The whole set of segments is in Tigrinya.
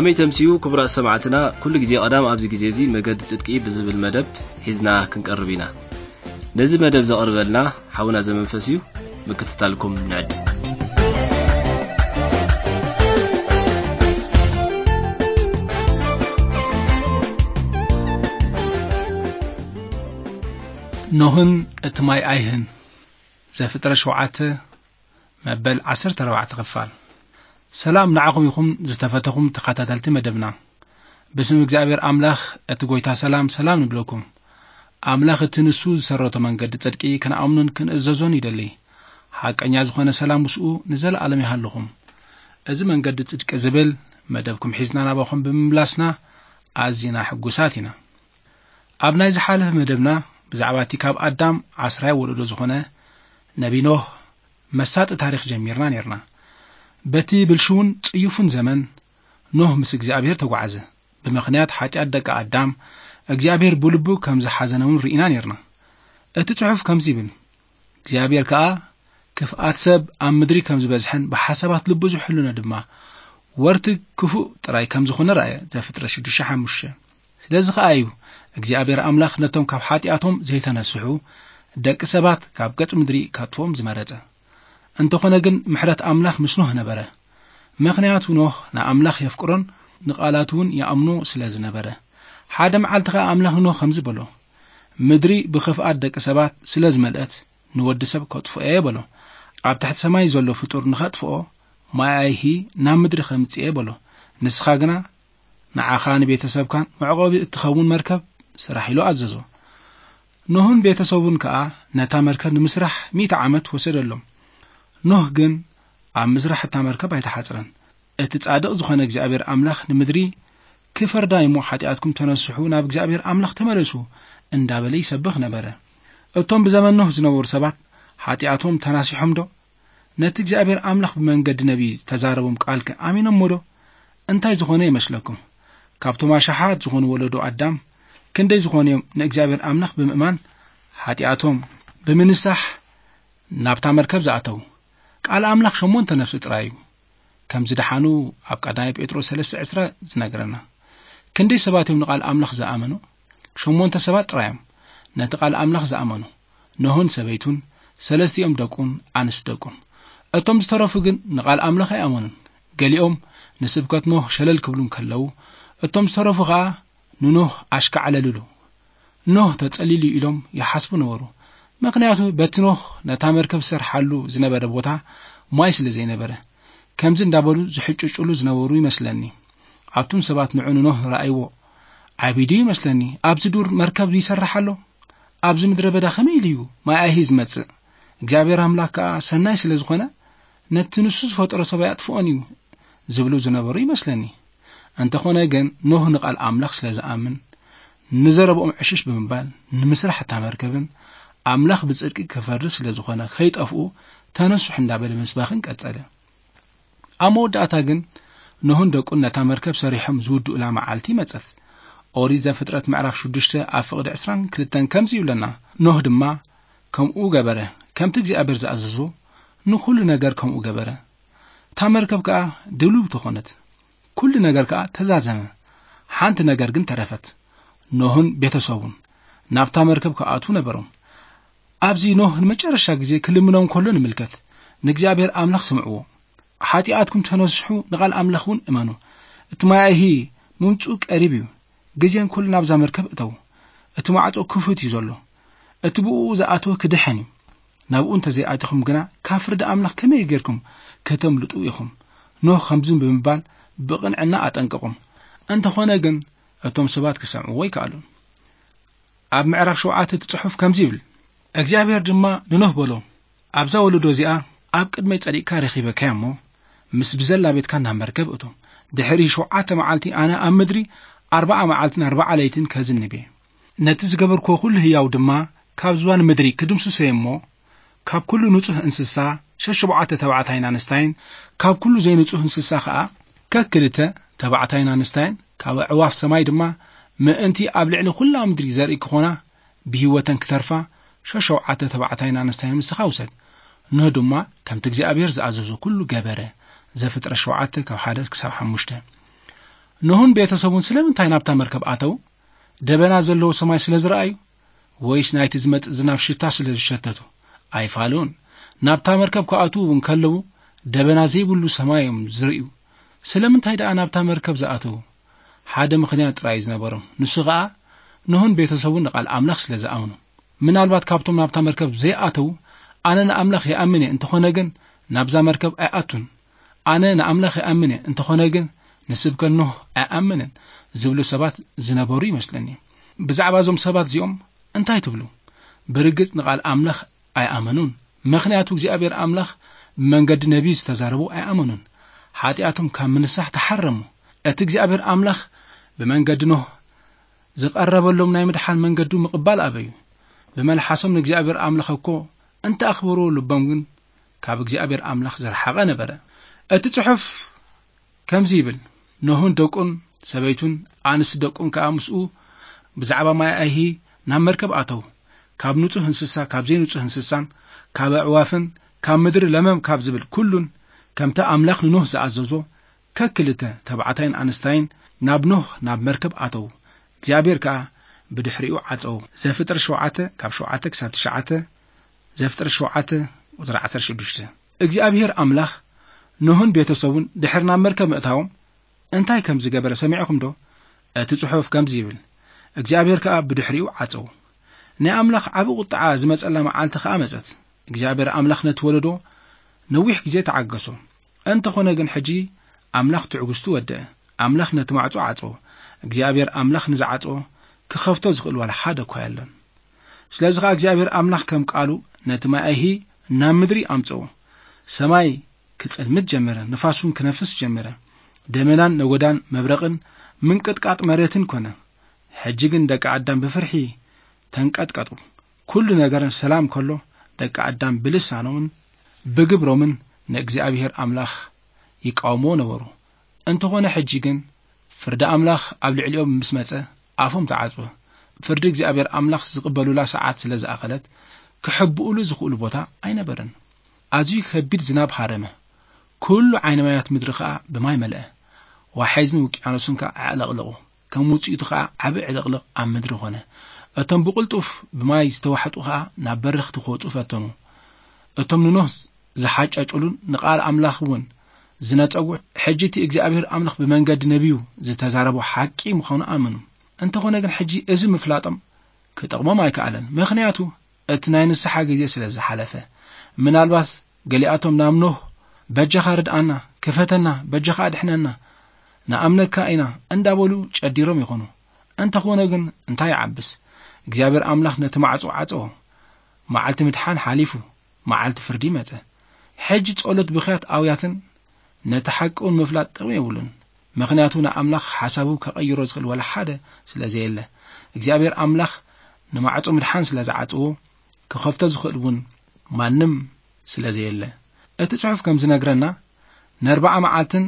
ከመይ ተምስዩ ክቡራት ሰማዕትና፣ ኩሉ ግዜ ቀዳም ኣብዚ ግዜ እዚ መገዲ ጽድቂ ብዝብል መደብ ሒዝና ክንቀርብ ኢና። ነዚ መደብ ዘቕርበልና ሓውና ዘመንፈስ እዩ። ምክትታልኩም ንዕድ። ኖህን እቲ ማይ ኣይህን። ዘፍጥረት ሸውዓተ መበል ዓሰርተ ኣርባዕተ ክፋል። ሰላም ንዓኹም ይኹን ዝተፈተኹም ተኸታተልቲ መደብና። ብስም እግዚኣብሔር ኣምላኽ እቲ ጎይታ ሰላም ሰላም ንብለኩም። ኣምላኽ እቲ ንሱ ዝሰረቶ መንገዲ ጽድቂ ክንኣምኑን ክንእዘዞን ይደሊ። ሓቀኛ ዝኾነ ሰላም ምስኡ ንዘለኣለም ይሃልኹም። እዚ መንገዲ ጽድቂ ዝብል መደብኩም ሒዝና ናባኹም ብምምላስና ኣዚና ሕጉሳት ኢና። ኣብ ናይ ዝሓለፈ መደብና ብዛዕባ እቲ ካብ ኣዳም ዓስራይ ወለዶ ዝኾነ ነቢ ኖህ መሳጢ ታሪኽ ጀሚርና ኔርና። በቲ ብልሽውን ጽዩፍን ዘመን ኖህ ምስ እግዚኣብሔር ተጓዓዘ። ብምኽንያት ሓጢኣት ደቂ ኣዳም እግዚኣብሔር ብልቡ ከም ዝሓዘነ እውን ርኢና ኔርና። እቲ ጽሑፍ ከምዚ ይብል፣ እግዚኣብሔር ከኣ ክፍኣት ሰብ ኣብ ምድሪ ከም ዝበዝሐን ብሓሳባት ልቡ ዝሕልኖ ድማ ወርቲ ክፉእ ጥራይ ከም ዝኾነ ረኣየ። ዘፍጥረት ሽዱሽተ ሓሙሽተ። ስለዚ ከኣ እዩ እግዚኣብሔር ኣምላኽ ነቶም ካብ ሓጢኣቶም ዘይተነስሑ ደቂ ሰባት ካብ ገጽ ምድሪ ከጥፍኦም ዝመረጸ። እንተኾነ ግን ምሕረት ኣምላኽ ምስ ኖህ ነበረ። ምኽንያቱ ኖህ ንኣምላኽ የፍቅሮን ንቓላቱ እውን ይኣምኖ ስለ ዝነበረ። ሓደ መዓልቲ ኸኣ ኣምላኽ ንኖህ ከምዚ በሎ፣ ምድሪ ብኽፍኣት ደቂ ሰባት ስለ ዝመልአት ንወዲ ሰብ ከጥፍኦ እየ በሎ። ኣብ ትሕቲ ሰማይ ዘሎ ፍጡር ንኸጥፍኦ ማይ ኣይሂ ናብ ምድሪ ከምጽእ እየ በሎ። ንስኻ ግና ንዓኻ ንቤተሰብካን መዕቆቢ እትኸውን መርከብ ስራሕ ኢሉ ኣዘዞ። ኖህን ቤተሰቡን ከኣ ነታ መርከብ ንምስራሕ ሚእቲ ዓመት ወሰደሎም። ኖህ ግን ኣብ ምስራሕ እታ መርከብ ኣይተሓጽረን። እቲ ጻድቕ ዝኾነ እግዚኣብሔር ኣምላኽ ንምድሪ ክፈርዳ እሞ ሓጢኣትኩም ተነስሑ ናብ እግዚኣብሔር ኣምላኽ ተመለሱ እንዳበለ ይሰብኽ ነበረ። እቶም ብዘመን ኖህ ዝነበሩ ሰባት ሓጢኣቶም ተናሲሖም ዶ? ነቲ እግዚኣብሔር ኣምላኽ ብመንገዲ ነቢይ ዝተዛረቦም ቃልከ ኣሚኖሞ ዶ? እንታይ ዝኾነ ይመስለኩም? ካብቶም ኣሽሓት ዝኾኑ ወለዶ ኣዳም ክንደይ ዝኾኑ እዮም ንእግዚኣብሔር ኣምላኽ ብምእማን ሓጢኣቶም ብምንሳሕ ናብታ መርከብ ዝኣተዉ? ቃል ኣምላኽ ሸሞንተ ነፍሲ ጥራይ እዩ ከም ዝደሓኑ ኣብ ቀዳማይ ጴጥሮስ ሰለስተ ዕስራ ዝነግረና። ክንደይ ሰባት እዮም ንቃል ኣምላኽ ዝኣመኑ? ሸሞንተ ሰባት ጥራይ እዮም ነቲ ቃል ኣምላኽ ዝኣመኑ። ኖህን ሰበይቱን፣ ሰለስቲኦም ደቁን ኣንስት ደቁን። እቶም ዝተረፉ ግን ንቃል ኣምላኽ ኣይኣመኑን። ገሊኦም ንስብከት ኖህ ሸለል ክብሉ እንከለዉ፣ እቶም ዝተረፉ ኸኣ ንኖህ ኣሽካዕለልሉ። ኖህ ተጸሊሉ ኢሎም ይሓስቡ ነበሩ። ምኽንያቱ በቲ ኖህ ነታ መርከብ ዝሰርሓሉ ዝነበረ ቦታ ማይ ስለ ዘይነበረ፣ ከምዚ እንዳበሉ ዝሕጭጭሉ ዝነበሩ ይመስለኒ። ኣቱም ሰባት ንዑ ንኖህ ረኣይዎ። ዓቢዱ ይመስለኒ። ኣብዚ ዱር መርከብ ይሰርሕ ኣሎ። ኣብዚ ምድረ በዳ ከመይ ኢሉ እዩ ማይ ኣይሂ ዝመጽእ? እግዚኣብሔር ኣምላኽ ከኣ ሰናይ ስለ ዝኾነ፣ ነቲ ንሱ ዝፈጠሮ ሰብ ኣየጥፍኦን እዩ ዝብሉ ዝነበሩ ይመስለኒ። እንተኾነ ግን፣ ኖህ ንቓል ኣምላኽ ስለ ዝኣምን፣ ንዘረብኦም ዕሽሽ ብምባል፣ ንምስራሕ እታ መርከብን ኣምላኽ ብጽድቂ ክፈርድ ስለ ዝኾነ፣ ከይጠፍኡ ተነስሑ እንዳበለ ምስባኽን ቀጸለ። ኣብ መወዳእታ ግን፣ ኖህን ደቁን ነታ መርከብ ሰሪሖም ዝውድኡላ መዓልቲ መጸት። ኦሪት ዘፍጥረት ምዕራፍ ሽዱሽተ ኣብ ፍቕዲ ዕስራን ክልተን ከምዚ ይብለና፣ ኖህ ድማ ከምኡ ገበረ፣ ከምቲ እግዚኣብሔር ዝኣዘዞ ንኹሉ ነገር ከምኡ ገበረ። እታ መርከብ ከኣ ድልውቲ ኾነት፣ ኩሉ ነገር ከኣ ተዛዘመ። ሓንቲ ነገር ግን ተረፈት፣ ኖህን ቤተሰቡን ናብታ መርከብ ክኣትዉ ነበሮም። ኣብዚ ኖህ ንመጨረሻ ግዜ ክልምኖም ከሎ ንምልከት፣ ንእግዚኣብሔር ኣምላኽ ስምዕዎ። ሓጢኣትኩም ተነስሑ፣ ንቓል ኣምላኽ እውን እመኑ። እቲ ማይ ኣይሂ ምምጽኡ ቀሪብ እዩ። ግዜን ኩሉ ናብዛ መርከብ እተዉ። እቲ ማዕጾ ክፉት እዩ ዘሎ። እቲ ብእኡ ዝኣተወ ክድሕን እዩ። ናብኡ እንተ ዘይኣቲኹም ግና፣ ካብ ፍርዲ ኣምላኽ ከመይ ጌርኩም ከተምልጡ ኢኹም? ኖህ ከምዚ ብምባል ብቕንዕና ኣጠንቀቖም። እንተኾነ ግን፣ እቶም ሰባት ክሰምዕዎ ኣይከኣሉን። ኣብ ምዕራፍ ሸውዓተ እቲ ጽሑፍ ከምዚ ይብል፣ እግዚኣብሔር ድማ ንኖህ በሎ፣ ኣብዛ ወለዶ እዚኣ ኣብ ቅድመይ ጸዲቕካ ረኺበካዮ እሞ፣ ምስ ብዘላ ቤትካ ናብ መርከብ እቶ። ድሕሪ ሸውዓተ መዓልቲ ኣነ ኣብ ምድሪ ኣርብዓ መዓልትን ኣርብዓ ለይትን ከዝንብ እየ። ነቲ ዝገበርክዎ ኩሉ ህያው ድማ ካብ ዝባን ምድሪ ክድምስሶ እየ እሞ፣ ካብ ኩሉ ንጹህ እንስሳ ሸሸብዓተ ተባዕታይን ኣንስታይን፣ ካብ ኩሉ ዘይንጹህ እንስሳ ኸኣ ከክልተ ተባዕታይን ኣንስታይን፣ ካብ ኣዕዋፍ ሰማይ ድማ ምእንቲ ኣብ ልዕሊ ኩላ ምድሪ ዘርኢ ክኾና ብህይወተን ክተርፋ ሸሸውዓተ ተባዕታይን ኣንስታይን ምስኻ ውሰድ። ኖህ ድማ ከምቲ እግዚኣብሔር ዝኣዘዞ ኩሉ ገበረ። ዘፍጥረት ሸውዓተ ካብ ሓደ ክሳብ ሓሙሽተ። ኖህን ቤተሰቡን ስለምንታይ ናብታ መርከብ ኣተው? ደበና ዘለዎ ሰማይ ስለ ዝረኣዩ? ወይስ ናይቲ ዝመጽእ ዝናብ ሽታ ስለ ዝሸተቱ? ኣይፋሉን። ናብታ መርከብ ክኣትዉ እውን ከለዉ ደበና ዘይብሉ ሰማይ እዮም ዝርእዩ። ስለምንታይ ደኣ ናብታ መርከብ ዝኣተዉ? ሓደ ምኽንያት ጥራይ እዩ ዝነበሮም። ንሱ ኸኣ ኖህን ቤተሰቡን ንቓል ኣምላኽ ስለ ዝኣምኑ። ምናልባት ካብቶም ናብታ መርከብ ዘይኣተዉ፣ ኣነ ንኣምላኽ ይኣምን እየ፣ እንተኾነ ግን ናብዛ መርከብ ኣይኣቱን። ኣነ ንኣምላኽ ይኣምን እየ፣ እንተኾነ ግን ንስብከት ኖህ ኣይኣምንን ዝብሉ ሰባት ዝነበሩ ይመስለኒ። ብዛዕባ እዞም ሰባት እዚኦም እንታይ ትብሉ? ብርግጽ ንቓል ኣምላኽ ኣይኣመኑን። ምኽንያቱ እግዚኣብሔር ኣምላኽ ብመንገዲ ነቢዩ ዝተዛረቡ ኣይኣመኑን። ሓጢኣቶም ካብ ምንሳሕ ተሓረሙ። እቲ እግዚኣብሔር ኣምላኽ ብመንገዲ ኖህ ዝቐረበሎም ናይ ምድሓን መንገዱ ምቕባል ኣበዩ። ብመልሓሶም ንእግዚኣብሔር ኣምላኽ እኮ እንተ ኣኽብርዎ፣ ልቦም ግን ካብ እግዚኣብሔር ኣምላኽ ዝረሓቐ ነበረ። እቲ ጽሑፍ ከምዚ ይብል፣ ኖህን ደቁን ሰበይቱን ኣንስቲ ደቁን ከኣ ምስኡ ብዛዕባ ማይ ኣይሂ ናብ መርከብ ኣተዉ። ካብ ንጹህ እንስሳ፣ ካብ ዘይንጹህ እንስሳን፣ ካብ ኣዕዋፍን፣ ካብ ምድሪ ለመም ካብ ዝብል ኩሉን፣ ከምቲ ኣምላኽ ንኖህ ዝኣዘዞ፣ ከክልተ ተባዕታይን ኣንስታይን ናብ ኖህ ናብ መርከብ ኣተዉ። እግዚኣብሔር ከኣ ብድሕሪኡ ዓጸዎ። ዘፍጥረት ሸውዓተ ካብ ሸውዓተ ክሳብ ትሽዓተ፣ ዘፍጥረት ሸውዓተ ቁጽሪ ዓሰርተ ሽዱሽተ። እግዚኣብሔር ኣምላኽ ኖህን ቤተሰቡን ድሕሪ ናብ መርከብ ምእታዎም እንታይ ከም ዝገበረ ሰሚዕኹም ዶ? እቲ ጽሑፍ ከምዚ ይብል፣ እግዚኣብሔር ከኣ ብድሕሪኡ ዓጸዎ። ናይ ኣምላኽ ዓቢ ቁጥዓ ዝመጸላ መዓልቲ ከኣ መጸት። እግዚኣብሔር ኣምላኽ ነቲ ወለዶ ነዊሕ ግዜ ተዓገሶ። እንተኾነ ግን ሕጂ ኣምላኽ ትዕግስቱ ወደአ። ኣምላኽ ነቲ ማዕጾ ዓጸዎ። እግዚኣብሔር ኣምላኽ ንዝዓጸዎ ክኸፍቶ ዝኽእል ዋላ ሓደ እኳ የለን። ስለዚ ኸኣ እግዚኣብሔር ኣምላኽ ከም ቃሉ ነቲ ማይ ኣይሂ ናብ ምድሪ ኣምጽኦ። ሰማይ ክጽልምት ጀመረ፣ ንፋስ እውን ክነፍስ ጀመረ። ደመናን ነጎዳን መብረቕን ምንቅጥቃጥ መሬትን ኮነ። ሕጂ ግን ደቂ ኣዳም ብፍርሒ ተንቀጥቀጡ። ኩሉ ነገር ሰላም ከሎ፣ ደቂ ኣዳም ብልሳኖምን ብግብሮምን ንእግዚኣብሔር ኣምላኽ ይቃወምዎ ነበሩ። እንተኾነ ሕጂ ግን ፍርዲ ኣምላኽ ኣብ ልዕሊኦም ምስ መጸ፣ ኣፎም ተዓጽወ። ፍርዲ እግዚኣብሔር ኣምላኽ ዝቕበሉላ ሰዓት ስለ ዝኣኸለት፣ ክሕብኡሉ ዝኽእሉ ቦታ ኣይነበረን። ኣዝዩ ከቢድ ዝናብ ሃረመ። ኩሉ ዓይኒ ማያት ምድሪ ኸኣ ብማይ መልአ። ዋሕዝን ውቅያኖስን ከኣ ኣዕለቕለቑ። ከም ውጽኢቱ ኸኣ ዓቢ ዕልቕልቕ ኣብ ምድሪ ኾነ። እቶም ብቕልጡፍ ብማይ ዝተዋሕጡ ኸኣ ናብ በረኽቲ ክወጹ ፈተኑ። እቶም ንኖህ ዝሓጨጭሉን ንቓል ኣምላኽ እውን ዝነጸጉ፣ ሕጂ እቲ እግዚኣብሔር ኣምላኽ ብመንገዲ ነቢዩ ዝተዛረቦ ሓቂ ምዃኑ ኣመኑ። እንተኾነ ግን ሕጂ እዚ ምፍላጦም ክጠቕሞም ኣይከኣለን። ምኽንያቱ እቲ ናይ ንስሓ ግዜ ስለ ዝሓለፈ። ምናልባት ገሊኣቶም ናብ ኖህ፣ "በጃኻ ርድኣና፣ ክፈተና፣ በጃኻ ኣድሕነና፣ ንኣምነካ ኢና" እንዳበሉ ጨዲሮም ይኾኑ። እንተኾነ ግን እንታይ ይዓብስ? እግዚኣብሔር ኣምላኽ ነቲ ማዕጾ ዓጸዎ። መዓልቲ ምድሓን ሓሊፉ፣ መዓልቲ ፍርዲ መጸ። ሕጂ ጸሎት ብኽያት ኣውያትን ነቲ ሓቂ እውን ምፍላጥ ጥቕሚ የብሉን። ምኽንያቱ ንኣምላኽ ሓሳቡ ከቐይሮ ዝኽእል ዋላ ሓደ ስለ ዘየለ። እግዚኣብሔር ኣምላኽ ንማዕጾ ምድሓን ስለ ዝዓጸዎ፣ ክኸፍቶ ዝኽእል እውን ማንም ስለ ዘየለ። እቲ ጽሑፍ ከም ዝነግረና፣ ንኣርብዓ መዓልትን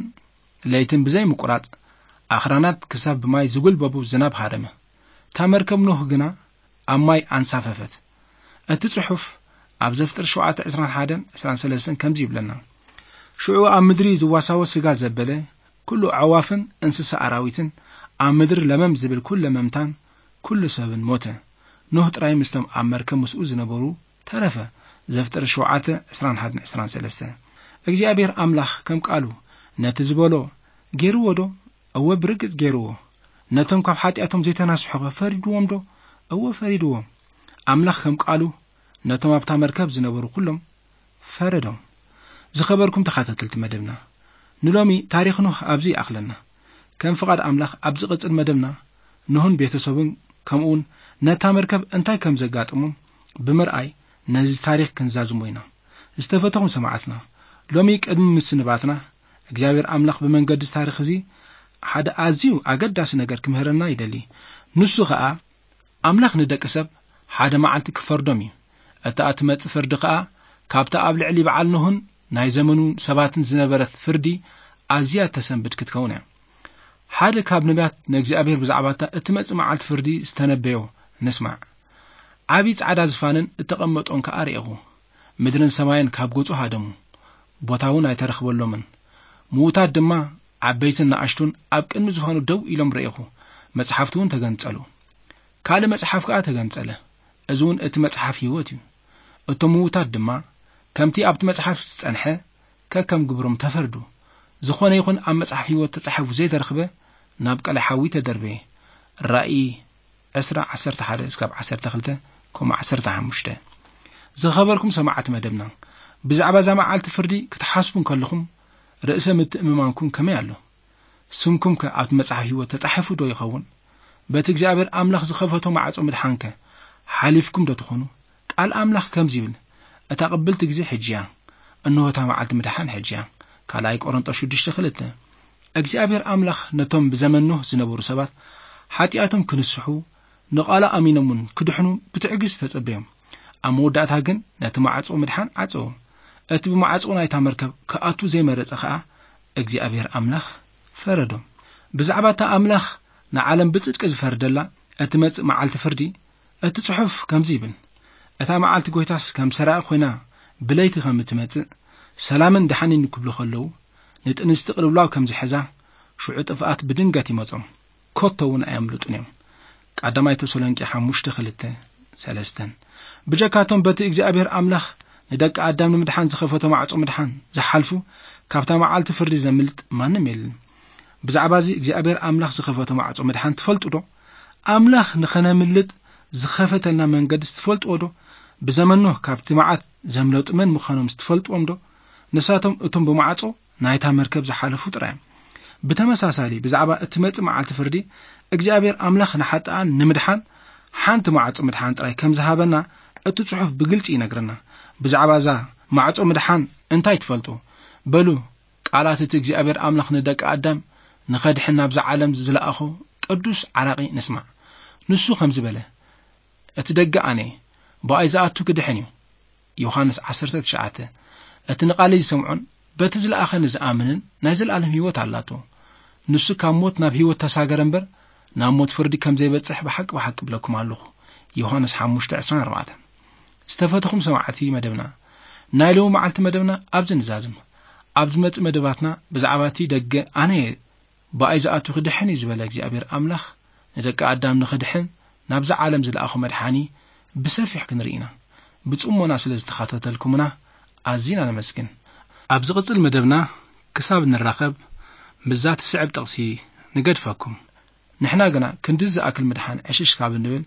ለይትን ብዘይ ምቁራጽ ኣኽራናት ክሳብ ብማይ ዝጉልበቡ ዝናብ ሃረመ። እታ መርከብ ኖህ ግና ኣብ ማይ ኣንሳፈፈት። እቲ ጽሑፍ ኣብ ዘፍጥረት ሸውዓተ ዕስራን ሓደን ዕስራን ሰለስተን ከምዚ ይብለና፣ "ሽዑ ኣብ ምድሪ ዝዋሳወስ ስጋ ዘበለ፣ ኩሉ ኣዕዋፍን እንስሳ ኣራዊትን፣ ኣብ ምድሪ ለመም ዝብል ኩለ መምታን፣ ኩሉ ሰብን ሞተ። ኖህ ጥራይ ምስቶም ኣብ መርከብ ምስኡ ዝነበሩ ተረፈ።" ዘፍጥረት ሸውዓተ ዕስራን ሓደን ዕስራን ሰለስተን። እግዚኣብሔር ኣምላኽ ከም ቃሉ ነቲ ዝበሎ ገይርዎ ዶ? እወ፣ ብርግጽ ገይርዎ። ነቶም ካብ ሓጢኣቶም ዘይተናስሑ ኸ ፈሪድዎም ዶ? እወ፣ ፈሪድዎም። ኣምላኽ ከም ቃሉ ነቶም ኣብታ መርከብ ዝነበሩ ኩሎም ፈረዶም። ዝኸበርኩም ተኸታተልቲ መደብና፣ ንሎሚ ታሪኽ ኖህ ኣብዚ ይኣኽለና። ከም ፍቓድ ኣምላኽ ኣብ ዝቕጽል መደብና ኖህን ቤተሰቡን ከምኡውን ነታ መርከብ እንታይ ከም ዘጋጠሞም ብምርኣይ ነዚ ታሪኽ ክንዛዝሞ ኢና። ዝተፈተኹም ሰማዕትና፣ ሎሚ ቅድሚ ምስንባትና እግዚኣብሔር ኣምላኽ ብመንገዲ እዚ ታሪኽ እዚ ሓደ ኣዝዩ ኣገዳሲ ነገር ክምህረና ይደሊ። ንሱ ኸኣ ኣምላኽ ንደቂ ሰብ ሓደ መዓልቲ ክፈርዶም እዩ። እታ እትመጽእ ፍርዲ ኸኣ ካብታ ኣብ ልዕሊ በዓል ኖህን ናይ ዘመኑ ሰባትን ዝነበረት ፍርዲ ኣዝያ ተሰንብድ ክትከውን እያ። ሓደ ካብ ነቢያት ንእግዚኣብሔር ብዛዕባ እታ እትመጽእ መዓልቲ ፍርዲ ዝተነበዮ ንስማዕ። ዓቢ ጻዕዳ ዝፋንን እተቐመጦን ከኣ ርኤኹ። ምድርን ሰማይን ካብ ገጹ ሃደሙ፣ ቦታ እውን ኣይተረኽበሎምን። ምዉታት ድማ ዓበይትን ንኣሽቱን ኣብ ቅድሚ ዝፋኑ ደው ኢሎም ረኢኹ። መጽሓፍቲ እውን ተገንጸሉ። ካልእ መጽሓፍ ከኣ ተገንጸለ። እዚ እውን እቲ መጽሓፍ ህይወት እዩ። እቶም ምዉታት ድማ ከምቲ ኣብቲ መጽሓፍ ዝጸንሐ ከከም ግብሮም ተፈርዱ። ዝኾነ ይኹን ኣብ መጽሓፍ ህይወት ተጻሒፉ ዘይተረኽበ ናብ ቀላይ ሓዊ ተደርበየ። ራእይ ዕስራ፣ ዓሰርተ ሓደ እስካብ ዓሰርተ ክልተ፣ ከምኡ ዓሰርተ ሓሙሽተ። ዝኸበርኩም ሰማዕቲ መደብና፣ ብዛዕባ እዛ መዓልቲ ፍርዲ ክትሓስቡ እንከለኹም ርእሰ ምትእምማንኩም ከመይ ኣሎ? ስምኩም ከ ኣብቲ መጽሓፍ ህይወት ተጻሒፉ ዶ ይኸውን? በቲ እግዚኣብሔር ኣምላኽ ዝኸፈቶ ማዕጾ ምድሓንከ ሓሊፍኩም ዶ ትኾኑ? ቃል ኣምላኽ ከምዚ ይብል፣ "እታ ቅብልቲ ግዜ ሕጂ እያ፣ እንሆ እታ መዓልቲ ምድሓን ሕጂ እያ።" ካልኣይ ቆሮንጦስ ሽዱሽተ ክልተ። እግዚኣብሔር ኣምላኽ ነቶም ብዘመን ኖህ ዝነበሩ ሰባት ሓጢኣቶም ክንስሑ፣ ንቓሉ ኣሚኖም እውን ክድሕኑ ብትዕግስቲ ተጸበዮም። ኣብ መወዳእታ ግን ነቲ ማዕጾ ምድሓን ዓጸዎ። እቲ ብማዕጾ ናይታ መርከብ ክኣቱ ዘይመረጸ ኸኣ እግዚኣብሔር ኣምላኽ ፈረዶ። ብዛዕባ እታ ኣምላኽ ንዓለም ብጽድቂ ዝፈርደላ እትመጽእ መዓልቲ ፍርዲ፣ እቲ ጽሑፍ ከምዚ ይብል፣ "እታ መዓልቲ ጐይታስ ከም ሰራቂ ኾይና ብለይቲ ከም እትመጽእ፣ ሰላምን ደሓንን ክብሉ ከለዉ፣ ንጥንስቲ ቅልውላው ከም ዝሕዛ፣ ሽዑ ጥፍኣት ብድንገት ይመጾም፣ ከቶ እውን ኣየምልጡን እዮም።" ቀዳማይ ተሰሎንቄ ሓሙሽተ ክልተ፣ ሰለስተን። ብጀካቶም በቲ እግዚኣብሔር ኣምላኽ ንደቂ ኣዳም ንምድሓን ዝኸፈቶ ማዕጾ ምድሓን ዝሓልፉ፣ ካብታ መዓልቲ ፍርዲ ዘምልጥ ማንም የለን። ብዛዕባ እዚ እግዚኣብሔር ኣምላኽ ዝኸፈቶ ማዕጾ ምድሓን ትፈልጡ ዶ? ኣምላኽ ንኸነምልጥ ዝኸፈተልና መንገድስ ትፈልጥዎ ዶ? ብዘመን ኖህ ካብቲ መዓት ዘምለጡ መን ምዃኖምስ ትፈልጥዎም ዶ? ንሳቶም እቶም ብማዕጾ ናይታ መርከብ ዝሓለፉ ጥራይ እዮም። ብተመሳሳሊ፣ ብዛዕባ እትመጽእ መዓልቲ ፍርዲ፣ እግዚኣብሔር ኣምላኽ ንሓጥኣን ንምድሓን ሓንቲ ማዕጾ ምድሓን ጥራይ ከም ዝሃበና እቲ ጽሑፍ ብግልጺ ይነግረና። ብዛዕባ እዛ ማዕጾ ምድሓን እንታይ ትፈልጡ? በሉ፣ ቃላት እቲ እግዚኣብሔር ኣምላኽ ንደቂ ኣዳም ንኸድሕን ናብዛ ዓለም ዝለኣኾ ቅዱስ ዓራቒ ንስማዕ። ንሱ ከምዚ በለ፣ "እቲ ደገ ኣነ፣ ብኣይ ዝኣቱ ክድሕን እዩ።" ዮሃንስ ዓሰርተ ትሽዓተ። እቲ ንቓለይ ዝሰምዖን በቲ ዝለኣኸኒ ዝኣምንን ናይ ዘለኣለም ህይወት ኣላቶ። ንሱ ካብ ሞት ናብ ህይወት ተሳገረ እምበር፣ ናብ ሞት ፍርዲ ከም ዘይበጽሕ ብሓቂ ብሓቂ እብለኩም ኣለኹ። ዮሃንስ ሓሙሽተ ዕስራን ኣርባዕተን። ዝተፈተኹም ሰማዕቲ መደብና፣ ናይ ሎሚ መዓልቲ መደብና ኣብዚ ንዛዝም። ኣብ ዝመጽእ መደባትና ብዛዕባ እቲ ደገ ኣነ እየ፣ ብኣይ ዝኣቱ ክድሕን እዩ ዝበለ እግዚኣብሔር ኣምላኽ፣ ንደቂ ኣዳም ንኽድሕን ናብዛ ዓለም ዝለኣኾ መድሓኒ ብሰፊሕ ክንርኢ ኢና። ብጽሞና ስለ ዝተኸታተልኩምና ኣዚና ነመስግን። ኣብ ዝቕጽል መደብና ክሳብ ንራኸብ፣ ምስዛ ትስዕብ ጥቕሲ ንገድፈኩም። ንሕና ግና ክንድዚ ዝኣክል ምድሓን ዕሽሽ ካብ እንብል፣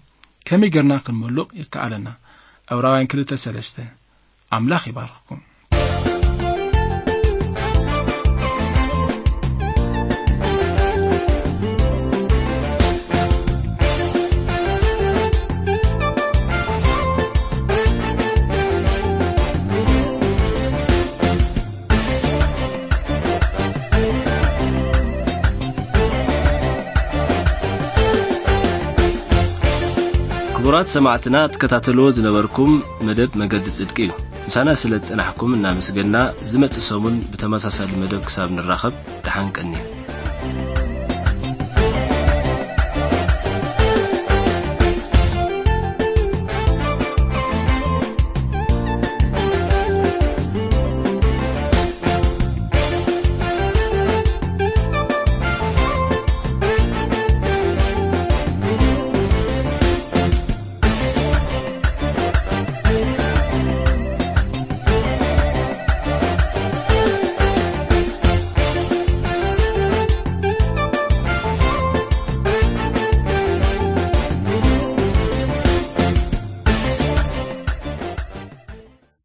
ከመይ ጌርና ክንምሉቕ ይከኣለና? ዕብራውያን ክልተ ሰለስተ። ኣምላኽ ይባርኽኩም። ክቡራት ሰማዕትና፣ ትከታተልዎ ዝነበርኩም መደብ መገዲ ጽድቂ እዩ። ምሳና ስለ ዝጸናሕኩም እናመስገንና፣ ዝመጽእ ሰሙን ብተመሳሳሊ መደብ ክሳብ ንራኸብ፣ ደሓን ቀንዩ።